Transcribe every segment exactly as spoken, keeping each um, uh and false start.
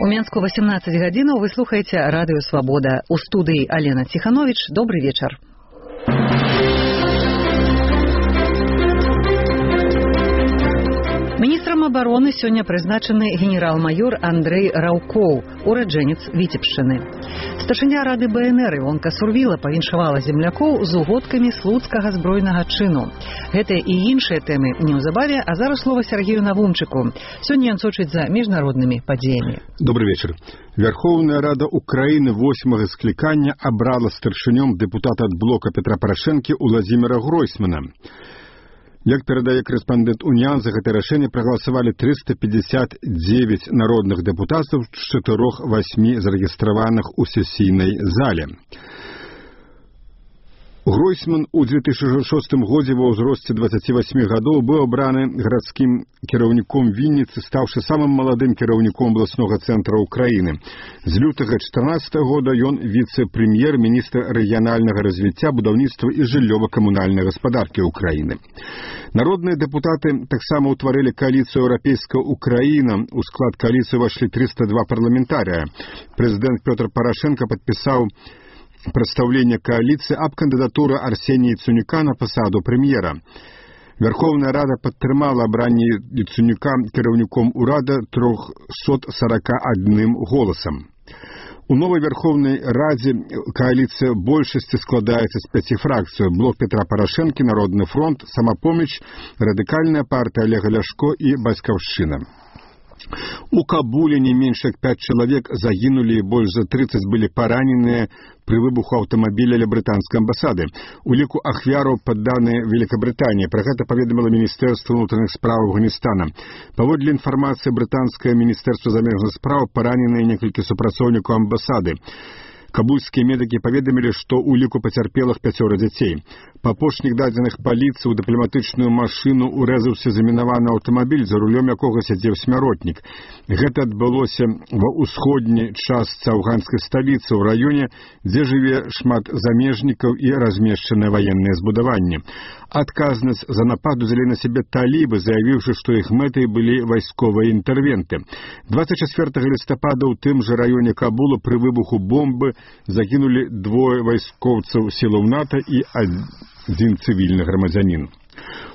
У Менску восемнадцать гадзінаў, вы слухаеце радыё «Свабода». У студыі Алена Ціхановіч. Добрый вечар. Міністрам абароны сёння прызначаны генерал-майор Андрэй Раўкоў, ураджэнец Віцебшчыны. Старшыня рады бэ эн эр Івонка Сурвіла павіншавала землякоў з угодкамі слуцкага збройнага чыну. Гэтыя і іншыя тэмы неўзабаве, а зараз слова Сергею Навумчыку. Сёння ён сочыць за міжнароднымі падзеямі. Добрый вечер. Верховная Рада Украины восьмага склікання абрала старшынём дэпутата ад блока Петра Парашэнкі Уладзіміра Гройсмана. Як перадае корэспандэнт Уніан, за гэтае рашэнне прагаласавалі трыста пятьдесят девять народных дэпутатаў з чатырох васьмі зарэгістраваных у сесійнай зале. Гройсман у две тысячи шостым годзе ва ўзросце двадцати восьми гадоў быў абраны гарадскім кіраўніком Вінніцы, стаўшы самым маладым кіраўніком абласнога цэнтра Украіны. З лютага чатырнаццатага года ён віцэ-прэм'ер-міністр рэгіянальнага развіцця, будаўніцтва і жыллёва-камунальнай гаспадаркі Украіны. Народныя дэпутаты таксама ўтварылі кааліцыю «Еўрапейская Украіна». У склад кааліцыі ўвайшлі триста два парламентарыя. Прэзідэнт Пётр Парашенко падпісаў прадстаўленне кааліцыі аб кандыдатуры Арсенія Яценюка на пасаду прэм'ера. Верховная Рада падтрымала абранне Яценюка кіраўніком урада трохсот сорока адным голасам. У новой Верховной Раде коалиция большасці складаецца з пяці фракцый: блок Петра Парашэнкі, Народны фронт, Самапоміч, Радыкальная партия Олега Ляшко и Бацькаўшчына. У Кабуле не менш як пять чалавек загінулі і больш за тридцать былі параненыя пры выбуху аўтамабіля ля брытанскай амбасады. У ліку ахвяраў падданыя Великабрытаніі. Пра гэта паведаміла Міністэрства ўнутраных спраў Афганістана. Паводле інфармацыі брытанскае Міністэрства замежных спраў, параненыя некалькі супрацоўнікаў амбасады. Кабульскія медыкі паведамілі, што ў ліку пацярпелых пяцёра дзяцей. Па апошніх дадзеных паліцыі ў дыпламатычную машыну урэзаўся замінаваны аўтамабіль, за рулём якога сядзеў смяротнік. Гэта адбылося ва ўсходняй частцы афганскай сталіцы, ў раёне, дзе жыве шмат замежнікаў і размешчаныя ваенныя збудаванні. Адказнасць за напад узялі на сябе талібы, заявіўшы, што іх мэтай былі вайсковыя інтэрвенты. двадцать чацвёртага лістапада ў тым жа раёне Кабула пры выбуху бомбы загінулі двое вайскоўцаў сілаў НАТО і адзін цывільны грамадзянін.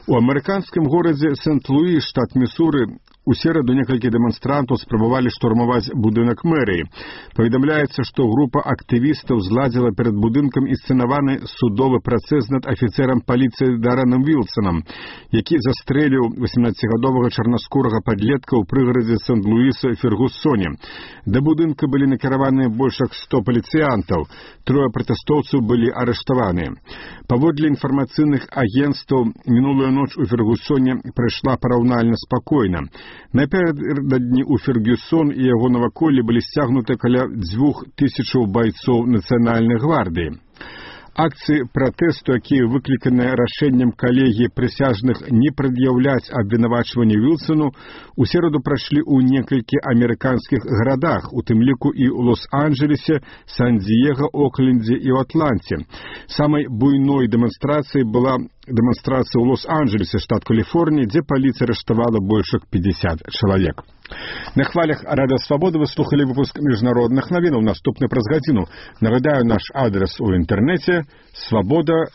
У амерыканскім горадзе Сент-Луі, штат Місуры, у сераду некалькі дэманстрантаў спрабавалі штурмаваць будынак мэрыі. Паведамляецца, што група актывістаў зладзіла перад будынкам інсцэнаваны судовы працэс над афіцэрам паліцыі Дарэнам Вілсанам, які застрэліў восемнаццацігадовага чарнаскурага падлетка ў прыгарадзе Сент-Луіса Фергусоне. Да будынка былі накіраваныя больш як сто паліцыянтаў. Трое пратэстоўцаў былі арыштаваныя. Паводле інфармацыйных агенцтваў, мінулую ноч у Фергусоне прайшла параўнальна спакойна. Напярэдадні у Фергюсон і яго наваколлі былі сцягнуты каля дзвюх тысячаў байцоў нацыянальнай гвардыі. Акцыі пратэсту, якія выкліканыя рашэннем калегіі прысяжных не прад'яўляць абвінавачванне Вілсону, у сераду прайшлі ў некалькі амерыканскіх гарадах, у тым ліку і ў Лос-Анджелесе, Сан-Діега, Оклендзе і ў Атланце. Самай буйной дэманстрацыяй была дэманстрацыя ў Лос-Анджелесе, штат Каліфорнія, дзе паліцыя арыштавала больш як пятьдесят чалавек. На хвалях Радыё Свабода вы слухалі выпуск міжнародных навінаў. Наступны праз гадзіну. Нагадаю, наш адрес у інтэрнэце свабода.